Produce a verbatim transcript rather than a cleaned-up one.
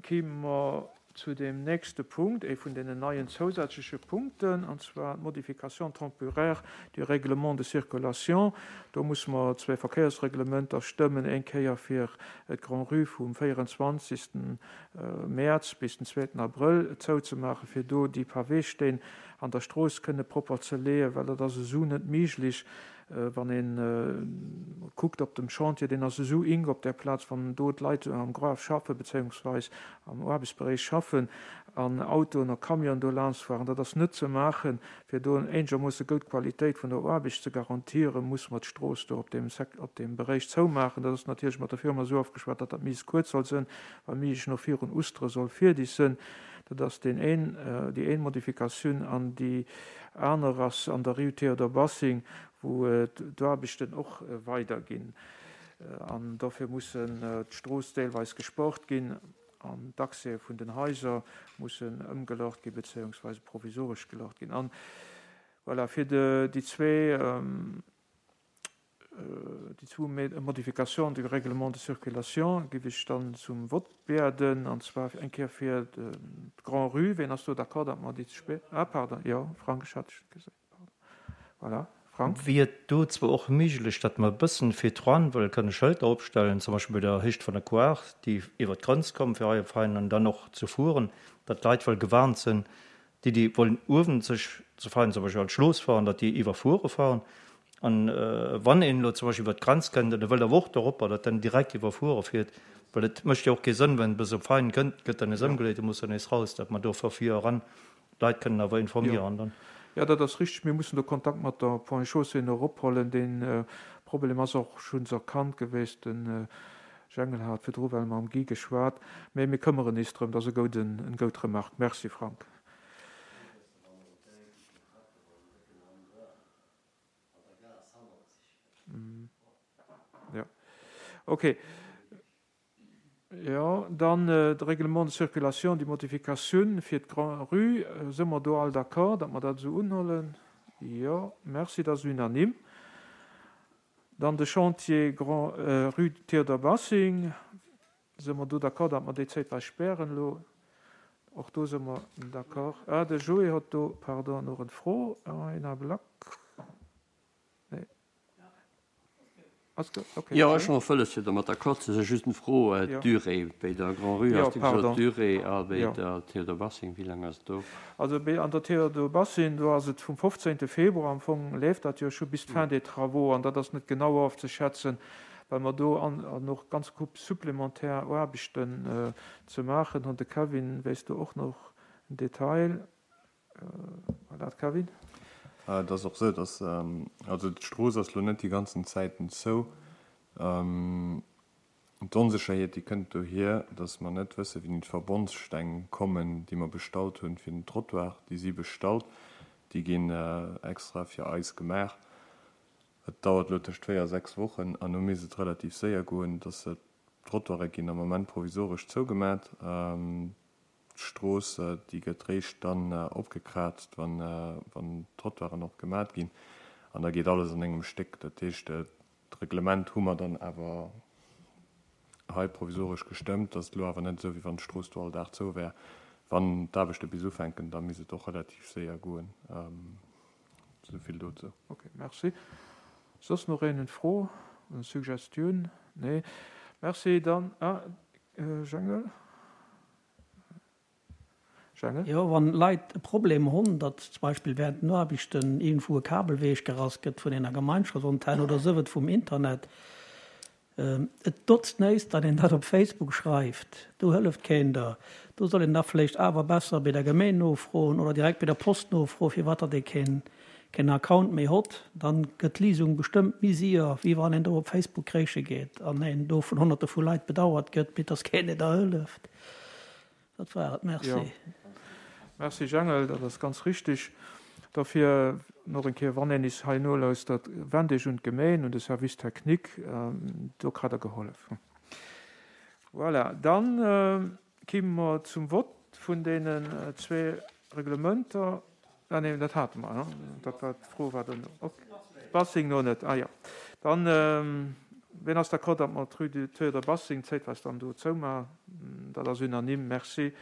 Kime mer zu dem nächste Punkt, ee vun deenen neien zousätzleche Punkten, an zwar d'Modification temporaire du règlement de circulation. Do musse mer zwee Verkéiersreglementer stëmmen, eng Kéier fir d'Grand-Rue vum véierenzwanzegsten Mäerz bis den zweeten Abrëll zouzemaachen, fir do déi Paweesteen an der Strooss kënne propper ze leeën, well dat ass esou net méiglech, wann een kuckt op dem Chantier, deen ass esou ink op där Plaz, wann do d'Leit am Gruef schaffen, bezéiungsweis am Aarbechtsberéich schaffen an Autoen a Camionen do laanschtfueren, dat ass net ze maachen. Fir do eenegermoosse goud Qualitéit vun der Aarbecht ze garantieren, muss mer d'Strooss do op deem Sek-, op deem Beréich zoumaachen. Dat ass natierlech mat der Firma esou ofgeschwat, datt dat méiglechst kuerz soll sinn, wa méiglech nach virun Oustere soll fierdeg sinn. Dat ass deen een, déi een Modifikatioun. An déi aner ass an der Rue Théodore Bassing, wou d'Aarbechten och weiderginn. An dofir mussen d'Strooss deelweis gesport ginn an d'Accèse vun den Haiser mussen ëmgelaucht ginn, bezéiungsweise provisoresch gelaucht ginn. An voilà, fir déi zwee, déi zwou Modifications du règlement de circulation géif ech dann zum Vott bieden, an zwar eng Kéier fir d'Grand-Rue. Wien ass do d'accord, datt mer déi ze spéit? Ah, pardon, jo, Frank, ech hat dech net gesinn, pardon. Voilà, Frank. Wier et do zwar och méiglech, datt mer e bëssen virdran wëlle kënne Schëlter opstellen, zum Beispill bei der Héicht vun der Quart, déi iwwert d'Grenz kommen, fir hei op Veinen an dann och ze fueren, datt d'Leit wëll gewarnt sinn, déi, déi wollen uewen sech zu Veinen zum Beispill an d'Schlooss fahren, datt déi iwwerfuere fahren. An wann een elo zum Beispill iwwert d'Grenz kënnt an e wëllt awer och doropper, datt en direkt iwwerfuere fiert, well et mécht jo och kee Sënn, wenn e bis op Veinen kënnt, gëtt dann nees ëmgeleet, e muss dann nees raus, datt mer do vu vir eran d'Leit kënnen awer informieren dann. Jo, dat ass richtig. Mir mussen do Kontakt mat der Ponts et Chaussées nach ophollen. Dee Problem ass och schonns erkannt gewiescht. De Jengel hat virdru well mam Guy geschwat. Mä mir këmmeren is drëm. Dat ass e gouden, eng goud Remarque. Merci, Frank. Jo, okay. Jo, dann de Règlement de circulation, déi Modifikatioun fir d'Grand-Rue. Si mer do all d'accord, datt mer dat esou unhollen? Jo, merci, dat ass unanime. Dann de Chantier Grand, Rue Théodore Bassing. Si mer do d'accord, datt mer déi zäitweis spären elo? Och do si mer d'accord. Ah, de Joé huet do, pardon, nach eng Fro. Een Ablack. Nee. Ass gut, okay. Jo, ech hunn och wëlles fir domat d'accord ze sinn. Just eng Fro, d'Durée bei der Grand-Rue, has du gesot, d'Durée a bei der Théodore Bassing, wéi laang ass et do? Also bei an der Théodore Bassing, do ass et vum fofzéngte Februar, am Fong leeft dat jo scho bis d'Fin des travaux, an dat ass net genau ofzeschätzen, well mer do an an och ganz Coupe supplémentaire Aarbechten ze maachen hunn. De Kevin weess do och nach en Detail. Voilà, Kevin. Et ass och esou, dass, also d'Strooss ass elo net déi ganzen Zäiten zou. D'Onsécherheet, déi kënnt dohier, dass mer net wëssen, wéini d'Verbondssteng kommen, déi mer bestallt hunn fir den Trottoir. Déi si bestallt, déi ginn extra fir eis gemaach. Et dauert elo tëscht véier a sechs Wochen an elo misst et relativ séier goen, dass d'Trottoire ginn am Ament provisoresch zougemat. D'Strooss, déi gëtt réischt dann opgekraazt, wann d'Trottoiren och gemat ginn. An da geet alles an engem Stéck. Dat heescht, d'Reglement hu mer dann awer hei provisoresch gestëmmt. Dat ass elo awer net esou, wéi wann d'Strooss do all Dag zou wär. Wann d'Aarbechte bis ufänken, da misst et och relativ séier goen. Esou vill dozou. Ok, merci. Soss nach een eng Fro, eng Suggestioun? Nee. Merci. Dann, ah, Jengel. Jengel. Jo, wann Leit e Problem hunn, datt zum Beispill während den Aarbechten iergendwou e Kabel wechgerass gëtt vun enger Gemeinschaftsantenn oder sou et vum Internet, et notzt näischt, datt een dat op Facebook schreift. Do hëlleft keen der. Do soll een da vläicht awer besser bei der Gemeen nofroen oder direkt bei der Post nofroen, firwat datt ee keen keen Account méi hott. Dann gëtt d'Liesung bestëmmt méi séier, wéi wann een do op Facebook kréiche geet an een do vun Honnerte vu Leit bedauert gëtt, mee dass keen een der hëlleft. Dat war et, merci. Jo. Merci Jengel, dat ass ganz richtig. Dofir nach eng Kéier, wann een is hei nolauschtert, wennt Iech un d'Gemeen, un de Service technique, do kritt Der gehollef. Voilà, dann kime mer zum Vott vun deenen zwee Reglementer. Ah nee, dat hate mer, dat war d'Fro war dono. Ok, Bassing no net, ah jo. Dann Wien ass d'accord, datt mer d'Rue du Théodore Bassing zäitweis dann do zoumaachen? Dat ass unanime. Merci.